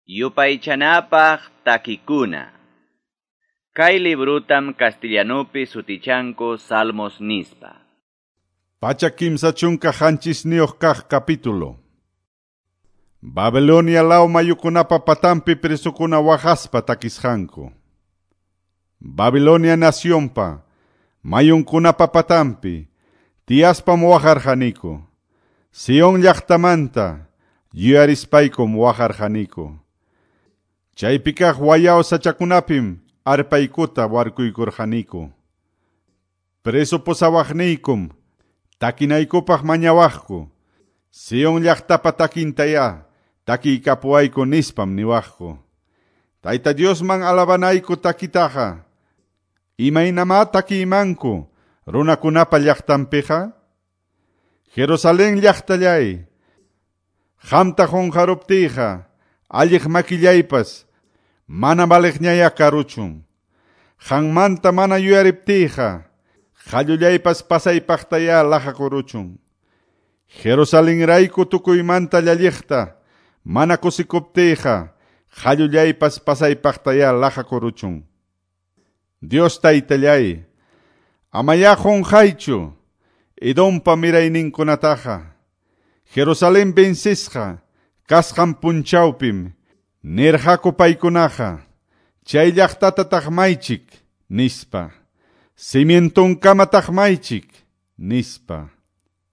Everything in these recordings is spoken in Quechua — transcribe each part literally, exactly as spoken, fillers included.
Yupaychanapaq takikuna. Kay librutam castellanupi sutichanku Salmos nispa. Pachak kimsa chunka qanchisniyuq kaq capítulo. Babilonia law mayukunapa patampi presukuna waqaspa takisqanku. Babilonia nacionpa mayunkunapa patampi tiyaspam waqarqaniku. Sion llaqtamanta yuyarispaykum waqarqaniku. Chaypi kaq wayaw sachakunapim arpaykuta warkuykurqaniku. Preso pusawaqniykum takinaykupaq mañawaqku. Sion llaqtapa takintaya takiykapuwayku nispam niwaqku. Tayta Diosman alabanayku takitaqa imaynamá takiymanku runakunapa llaqtanpiqa? Jerusalén llaqtallay, qamta qunqaruptiyqa alliq makillaypas mana valiqñaya karuchun. Qanmanta mana yuyariptiyqa qallullaypas pasaypaqtaya laqakuruchun. Jerusalenrayku tukuymanta llalliqta mana kusikuptiyqa qallullaypas pasaypaqtaya laqakuruchun. Dios taytallay, amaya qunqaychu Edompa mirayninkunataqa. Jerusalén vencisqa kasqan punchawpim nirqaku paykunaqa chay llaqtata taqmaychik nispa, cimientonkama taqmaychik nispa.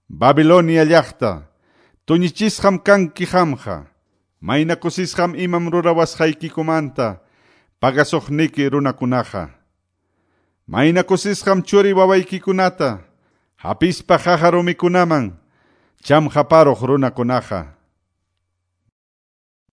Babilonia llaqta, tuñichisqam kanki qamqa, mayna kusisqam imam rurawasqaykikumanta pagasuqniki runakunaqa. Mayna kusisqam churi wawaykikunata hapispa qaqa rumikunaman chamqaparuq runakunaqa.